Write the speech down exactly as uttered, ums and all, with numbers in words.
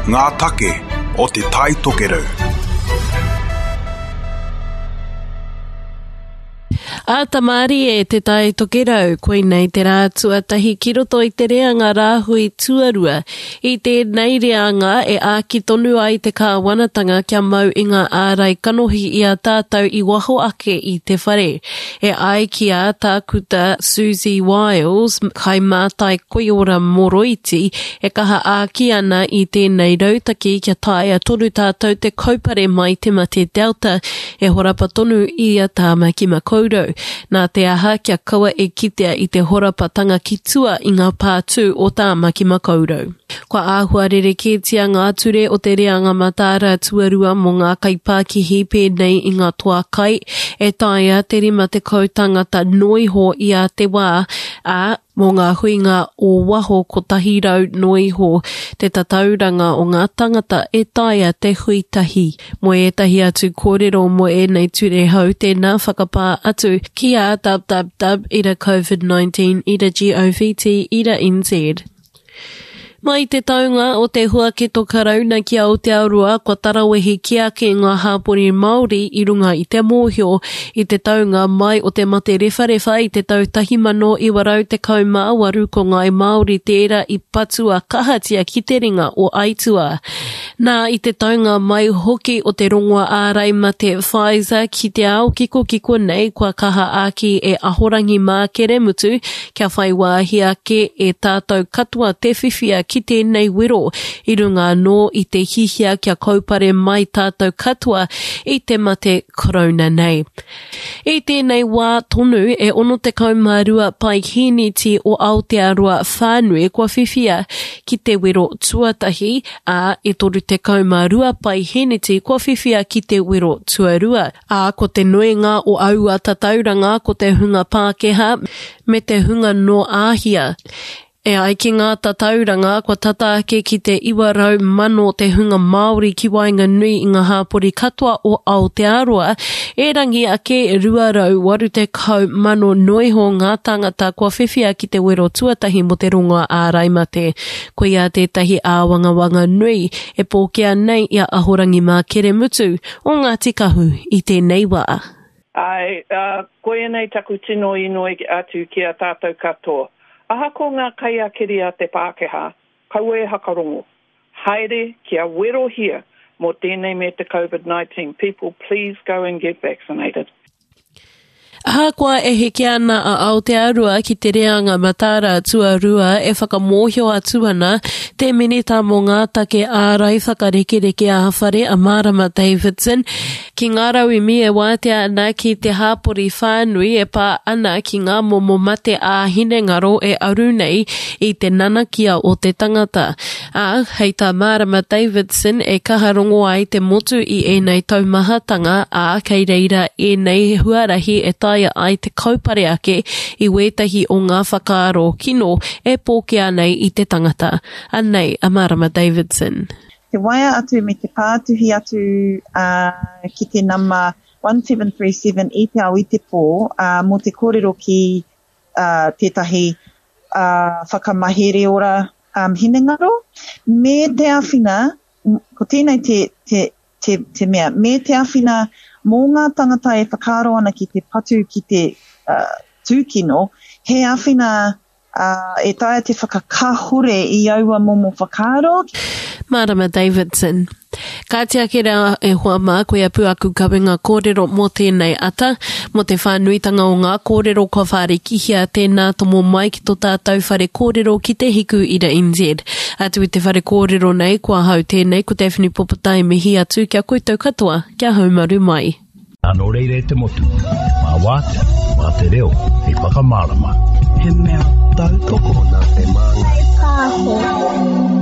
Ngā take o Te Tai Tokerau. Ata mārie Te Tai Tokerau, koinei te rā tuatahi ki roto i te reanga rāhui tuarua. I tēnei reanga e āki tonu ai te kāwanatanga kia mau i ngā ārai kanohi i a tātou i waho ake i te whare. E ai ki a Tākuta Susie Wiles, kaimātai koiora moroiti, e kaha āki ana i tēnei rautaki kia taea tonu tātou te kaupare mai te mate Delta e horapa tonu i a Tāmaki Makaurau. Nā te aha kia kaua e kitea i te horapatanga ki tua i ngā pātū o Tāmaki Makaurau. Kua āhua rerekētia ngā ture o te reanga mataara tuarua mō ngā kaipākihi pēnei i ngā toa kai e taea te rima tekau tangata noa iho i a te wā, ā, mō ngā huinga o waho kotahi rau noa iho te tatauranga o ngā tangata e taea te hui tahi. Mō ētahi atu kōrero mō ēnei ture hou tēnā whakapā atu ki a www ira covid nineteen ira govt ira nz. Mai te taunga o te huaketo karauna ki Aotearoa, kua tarawehi ki ake ngā hāpori Māori i runga i te mōhio i te taunga mai o te mate rewharewha i te tau tahi mano iwa rau tekau mā waru ko ngāi Māori tērā i patua kahatia ki te ringa o Aituā. Nā i te taunga mai hoki o te rongoa ārai mate Pfizer ki te ao kikokiko nei kua kaha āki e Ahorangi Mākeremutu kia whai wāhi ake e tātou katoa te whiwhia ki tēnei wero i runga anō i te hihia kia kaupare mai tātou katoa i te mate korona nei. I tēnei wā tonu e ono tekau mā rua paihīniti o Aotearoa whānui kua whiwhia ki te wero tuatahi, ā, e toru tekau mā rua paihīniti kua whiwhia ki te wero tuarua. Ā, ko te nuinga o aua tatauranga ko te hunga Pākehā me te hunga nō Āhia. E ai ki ngā tatauranga, kua tata ake ki te iwa rau mano te hunga Māori ki waenganui i ngā hāpori katoa o Aotearoa, erangi ake rua rau waru tekau mano noa iho ngā tāngata kua whiwhia ki te wero tuatahi mō te rongoa ārai mate. Koia tētahi āwangawanga nui e pōkea nei i a Ahorangi Mākeremutu o Ngāti Kahu i tēnei wā. Āe, uh, koianei taku tino inoi atu ki a tātou katoa. Ahako ngā kaiakiri a te Pākehā, kaua e hakarongo. Haere kia werohia mō tēnei me te COVID nineteen. People, please go and get vaccinated. Ahakoa e heke ana a Aotearoa ki te reanga mataara tuarua e whakamōhio atu ana te minita mō ngā take ārai whakarekereke ā-whare a Marama Davidson ki ngā rauemi e wātea ana ki te hāpori whānui e pā ana ki ngā momo mate ā-hinengaro e aru nei i te nanakia o te tangata. Ā, hei tā Marama Davidson e kaha rongo ai te motu i ēnei taumahatanga, ā, kei reira ēnei huarahi e taea ai te kaupare ake i wētahi o ngā whakaaro kino e pōkea nei i te tangata. Anei a Marama Davidson. Te waea atu me te pātuhi atu uh, ki te nama one seven three seven i te ao i te pō uh, mō te kōrero ki uh, tētahi uh, whakamahere ora um, hinengaro, me te āwhina, ko tēnei te, te, te, te mea, me te āwhina mō ngā tangata e whakaaro ana ki te patu ki te uh, tūkino, he āwhina uh, e taea te whakakahore i aua momo whakaaro. Marama Davidson. Ka tiaki rā e hoa mā, koia pū aku kawenga kōrero mō tēnei ata, mō te whānuitanga o ngā kōrero kua whārikihia tēnā tomo mai ki tō tātou whare kōrero ki te Hiku Ira N Z. Atu i te whare kōrero nei, kua hau tēnei, ko Daphne Popotai mihi atu kia koutou katoa, kia haumaru mai. Nō reira e te motu, mā wātea, mā te reo, hei whakamārama. He mea tautoko nā te māngai. Pāho.